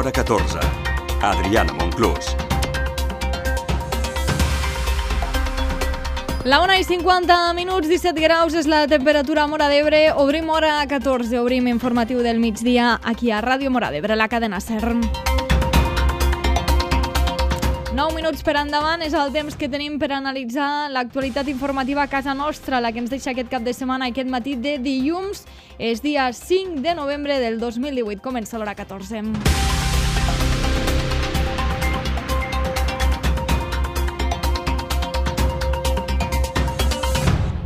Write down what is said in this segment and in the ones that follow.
l'hora 14. Adriana Monclús. La 1:50, 17 graus és la temperatura a Móra d'Ebre. Obrim hora 14, obrim informatiu del migdia aquí a Ràdio Móra d'Ebre, la cadena SER. 9 minuts per endavant és el temps que tenim per analitzar l'actualitat informativa a casa nostra, la que ens deixa aquest cap de setmana i aquest matí de dilluns. És dia 5 de novembre del 2018. Comença l'hora 14.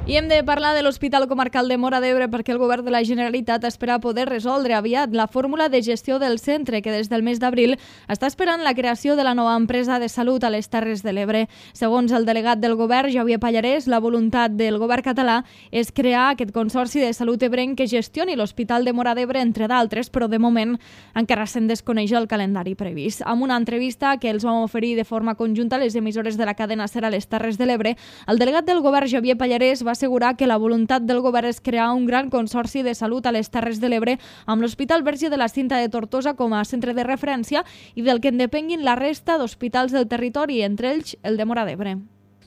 I hem de parlar de l'Hospital Comarcal de Móra d'Ebre perquè el Govern de la Generalitat espera poder resoldre aviat la fórmula de gestió del centre que des del mes d'abril està esperant la creació de la nova empresa de salut a les Terres de l'Ebre. Segons el delegat del Govern, Javier Pallarès, la voluntat del Govern català és crear aquest consorci de salut ebrenc que gestioni l'Hospital de Móra d'Ebre, entre d'altres, però de moment encara se'n desconeix el calendari previst. Amb una entrevista que els vam oferir de forma conjunta a les emissores de la cadena SER a les Terres de l'Ebre, el delegat del Govern, Javier Pallarès, va assegurar que la voluntat del govern és crear un gran consorci de salut a les Terres de l'Ebre amb l'Hospital Verge de la Cinta de Tortosa com a centre de referència i del que en depenguin la resta d'hospitals del territori, entre ells el de Móra d'Ebre.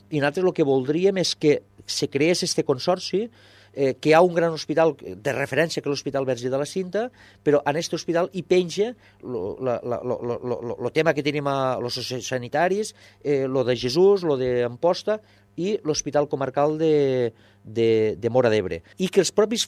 I nosaltres el que voldríem és que se creés este consorci, que hi ha un gran hospital de referència que és l'Hospital Verge de la Cinta, però en aquest hospital hi penja el tema que tenim a els sanitaris, lo de Jesús, lo d'Amposta i l'Hospital Comarcal de Móra d'Ebre. I que els propis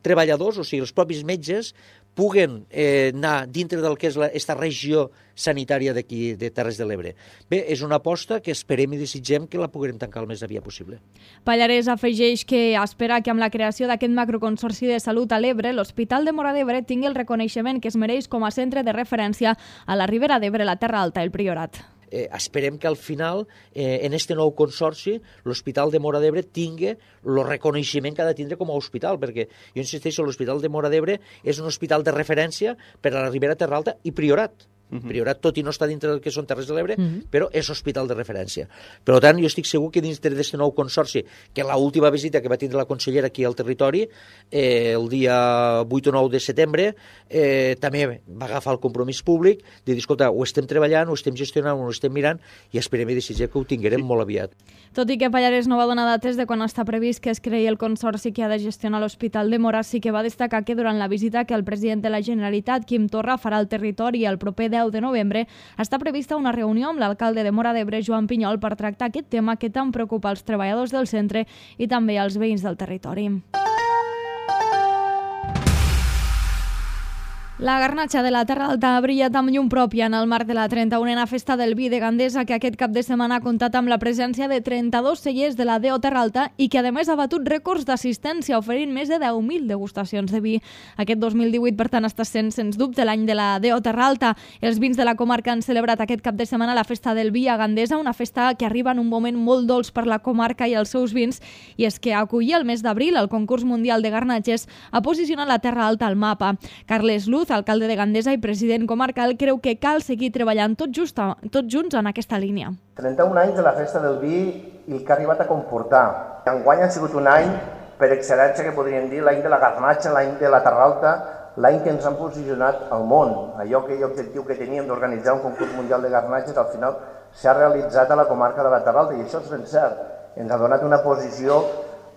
treballadors, o sigui, els propis metges, puguen anar dintre del que és aquesta regió sanitària d'aquí, de Terres de l'Ebre. Bé, és una aposta que esperem i desitgem que la puguem tancar el més aviat possible. Pallarès afegeix que espera que amb la creació d'aquest macroconsorci de salut a l'Ebre, l'Hospital de Móra d'Ebre tingui el reconeixement que es mereix com a centre de referència a la Ribera d'Ebre, la Terra Alta i el Priorat. Esperem que al final, en este nou consorci, l'Hospital de Móra d'Ebre tingui el reconeixement que ha de tindre com a hospital, perquè jo insisteixo, l'Hospital de Móra d'Ebre és un hospital de referència per a la Ribera, Terra Alta i Priorat. Priorat, tot i no està dintre del que són Terres de l'Ebre, però és hospital de referència. Per tant, jo estic segur que dintre d'aquest nou consorci, que l'última visita que va tindre la consellera aquí al territori, el dia 8 o 9 de setembre, també va agafar el compromís públic de dir, escolta, ho estem treballant, ho estem gestionant, ho estem mirant, i esperem i desitgem que ho tinguerem molt aviat. Tot i que Pallarès no va donar dates de quan està previst que es creï el consorci que ha de gestionar l'Hospital de Móra, sí que va destacar que durant la visita que el president de la Generalitat, Quim Torra, farà al territori el proper 10 de novembre, està prevista una reunió amb l'alcalde de Móra d'Ebre, Joan Pinyol, per tractar aquest tema que tant preocupa als treballadors del centre i també als veïns del territori. La garnatxa de la Terra Alta ha brillat amb llum pròpia en el marc de la 31a Festa del Vi de Gandesa, que aquest cap de setmana ha comptat amb la presència de 32 cellers de la DO Terra Alta i que a més ha batut rècords d'assistència, oferint més de 10.000 degustacions de vi. Aquest 2018, per tant, està sent sens dubte l'any de la DO Terra Alta. Els vins de la comarca han celebrat aquest cap de setmana la Festa del Vi a Gandesa, una festa que arriba en un moment molt dolç per la comarca i els seus vins, i és que acollir el mes d'abril el concurs mundial de garnatges ha posicionat la Terra Alta al mapa. Carles Luz, alcalde de Gandesa i president comarcal, creu que cal seguir treballant tots junts en aquesta línia. 31 anys de la Festa del Vi i el que ha arribat a comportar. Enguany ha sigut un any per excel·lència, que podríem dir, l'any de la garnatxa, l'any de la Terra Alta, l'any que ens han posicionat al món. Aquell objectiu que teníem d'organitzar un concurs mundial de garnatges, al final s'ha realitzat a la comarca de la Terra Alta, i això és ben cert. Ens ha donat una posició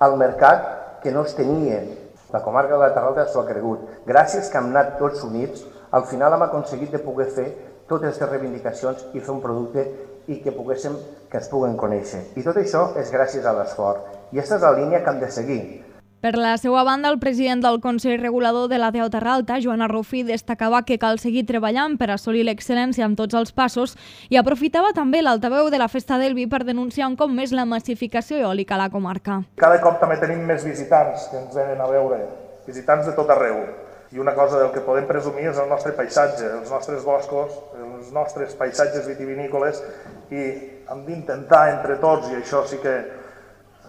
al mercat que no es tenia. La comarca de la Terra Alta s'ho ha cregut. Gràcies que hem anat tots units, al final hem aconseguit de poder fer totes aquestes reivindicacions i fer un producte i que es puguen conèixer. I tot això és gràcies a l'esforç. I aquesta és la línia que hem de seguir. Per la seva banda, el president del Consell Regulador de la DO Terra Alta, Joan Arrufí, destacava que cal seguir treballant per assolir l'excel·lència en tots els passos i aprofitava també l'altaveu de la Festa del Vi per denunciar un cop més la massificació eòlica a la comarca. Cada cop també tenim més visitants que ens venen a veure, visitants de tot arreu. I una cosa del que podem presumir és el nostre paisatge, els nostres boscos, els nostres paisatges vitivinícoles, i hem d'intentar entre tots, i això sí que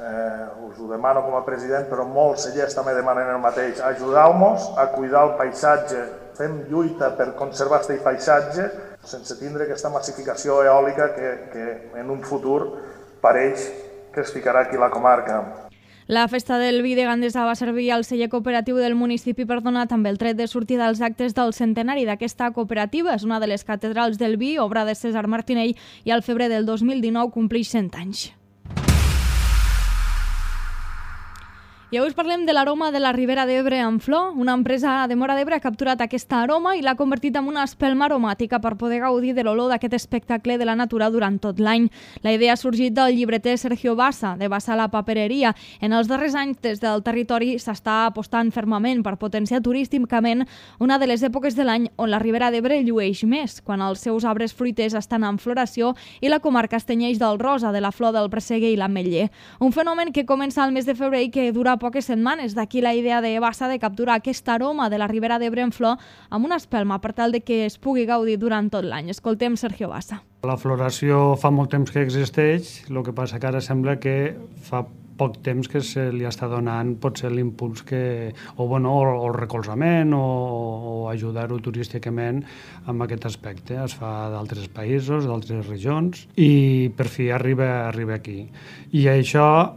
us ho demano com a president, però molts cellers també demanen el mateix. Ajudeu-nos a cuidar el paisatge, fem lluita per conservar aquest paisatge sense tindre aquesta massificació eòlica que en un futur pareix que es ficarà aquí a la comarca. La festa del vi de Gandesa va servir al celler cooperatiu del municipi per donar també el tret de sortida als actes del centenari d'aquesta cooperativa. És una de les catedrals del vi, obra de César Martinell, i al febrer del 2019 compleix 100 anys. I avui us parlem de l'aroma de la Ribera d'Ebre en flor. Una empresa de Móra d'Ebre ha capturat aquesta aroma i l'ha convertit en una espelma aromàtica per poder gaudir de l'olor d'aquest espectacle de la natura durant tot l'any. La idea ha sorgit del llibreter Sergio Bassa, de Bassa la Papereria. En els darrers anys, des del territori, s'està apostant fermament per potenciar turísticament una de les èpoques de l'any on la Ribera d'Ebre llueix més, quan els seus arbres fruiters estan en floració i la comarca es tenyeix del rosa, de la flor del presseguer i l'ametller. Un fenomen que comença al mes de febrer i que dura poques setmanes. D'aquí la idea de Bassa de capturar aquest aroma de la Ribera d'Ebre en flor amb una espelma per tal de que es pugui gaudir durant tot l'any. Escoltem Sergio Bassa. La floració fa molt temps que existeix, el que passa que ara sembla que fa poc temps que se li està donant potser l'impuls o el recolzament o ajudar-ho turísticament amb aquest aspecte. Es fa d'altres països, d'altres regions i per fi arriba aquí. I això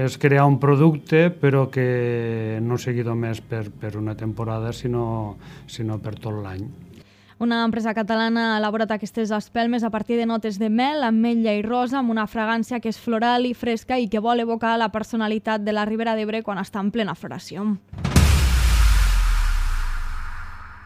és crear un producte però que no sigui només per una temporada sinó per tot l'any. Una empresa catalana ha elaborat aquestes espelmes a partir de notes de mel, ametlla i rosa amb una fragància que és floral i fresca i que vol evocar la personalitat de la Ribera d'Ebre quan està en plena floració.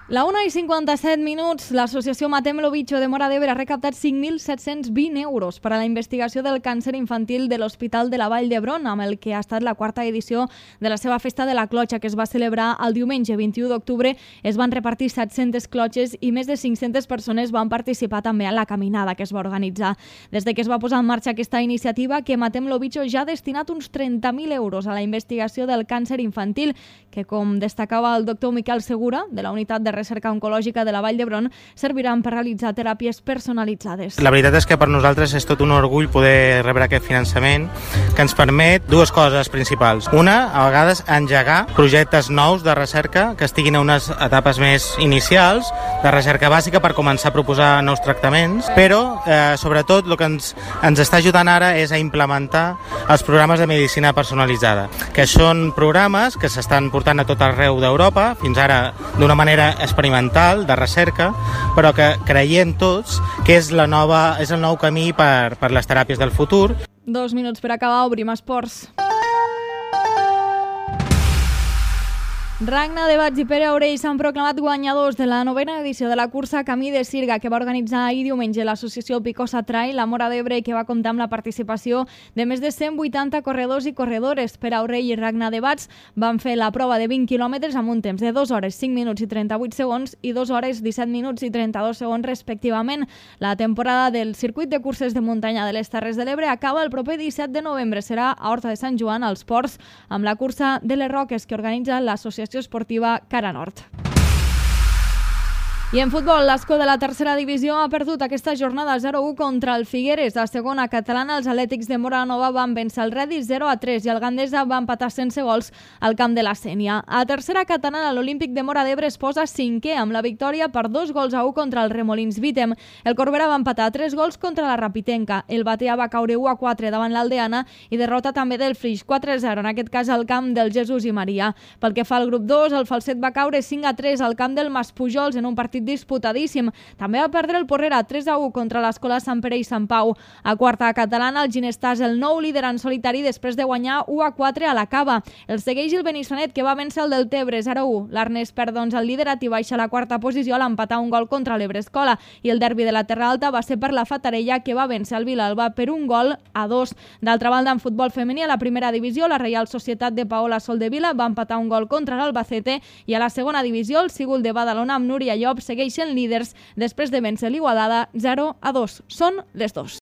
La 1:57, l'associació Matem lo Bicho de Móra d'Ebre ha recaptat 5.720 euros per a la investigació del càncer infantil de l'Hospital de la Vall d'Hebron, amb el que ha estat la quarta edició de la seva festa de la clotxa, que es va celebrar el diumenge 21 d'octubre. Es van repartir 700 clotxes i més de 500 persones van participar també a la caminada que es va organitzar. Des de que es va posar en marxa aquesta iniciativa, que Matem lo Bicho ja ha destinat uns 30.000 euros a la investigació del càncer infantil, que, com destacava el doctor Miquel Segura, de la Unitat de Recerca Oncològica de la Vall d'Hebron, serviran per realitzar teràpies personalitzades. La veritat és que per nosaltres és tot un orgull poder rebre aquest finançament que ens permet dues coses principals. Una, a vegades engegar projectes nous de recerca que estiguin a unes etapes més inicials, de recerca bàsica per començar a proposar nous tractaments, però sobretot el que ens està ajudant ara és a implementar els programes de medicina personalitzada, que són programes que s'estan portant a tot arreu d'Europa, fins ara d'una manera experimental, de recerca, però que creiem tots que és el nou camí per les teràpies del futur. 2 minuts per acabar, obrim esports. Ragna de Bats i Pere Aurell s'han proclamat guanyadors de la 9ª edició de la cursa Camí de Sirga, que va organitzar ahir diumenge l'associació Picosa Trail, la Móra d'Ebre, que va comptar amb la participació de més de 180 corredors i corredores. Pere Aurell i Ragna de Bats van fer la prova de 20 quilòmetres amb un temps de 2 hores, 5 minuts i 38 segons i 2 hores, 17 minuts i 32 segons respectivament. La temporada del circuit de curses de muntanya de les Terres de l'Ebre acaba el proper 17 de novembre. Serà a Horta de Sant Joan, als Ports, amb la cursa de les Roques que organitza l'associació esportiva Cara Nord. I en futbol, l'Ascó de la tercera divisió ha perdut aquesta jornada 0-1 contra el Figueres. A segona catalana, els Atlètics de Móra-la-Nova van vèncer el Redis 0-3 i el Gandesa va empatar sense gols al camp de la Sénia. A tercera catalana, l'Olímpic de Móra d'Ebre es posa 5è amb la victòria per 2-1 contra el Remolins Vítem. El Corbera va empatar 3 gols contra la Rapitenca. El Batea va caure 1-4 davant l'Aldeana i derrota també del Flix 4-0, en aquest cas al camp del Jesús i Maria. Pel que fa al grup 2, el Falset va caure 5-3 al camp del Maspujols en un partit disputadíssim. També va perdre el Porrera 3-1 contra l'Escola Sant Pere i Sant Pau. A quarta catalana, el Ginestà és el nou líder en solitari després de guanyar 1-4 a la Cava. El segueix el Benissanet, que va vèncer el del Tebre 0-1. L'Arnès perd el liderat i baixa a la quarta posició a l'empatar un gol contra l'Ebrescola. I el derbi de la Terra Alta va ser per la Fatarella, que va vèncer el Vilalba per 1-2. D'altra banda, en futbol femení, a la primera divisió, la Reial Societat de Paola Soldevila va empatar un gol contra l'Albacete i a la segona divisió, el Sigul de Badalona amb Núria Llop segueixen líders després de vèncer l'Igualada 0-2. Són les 2.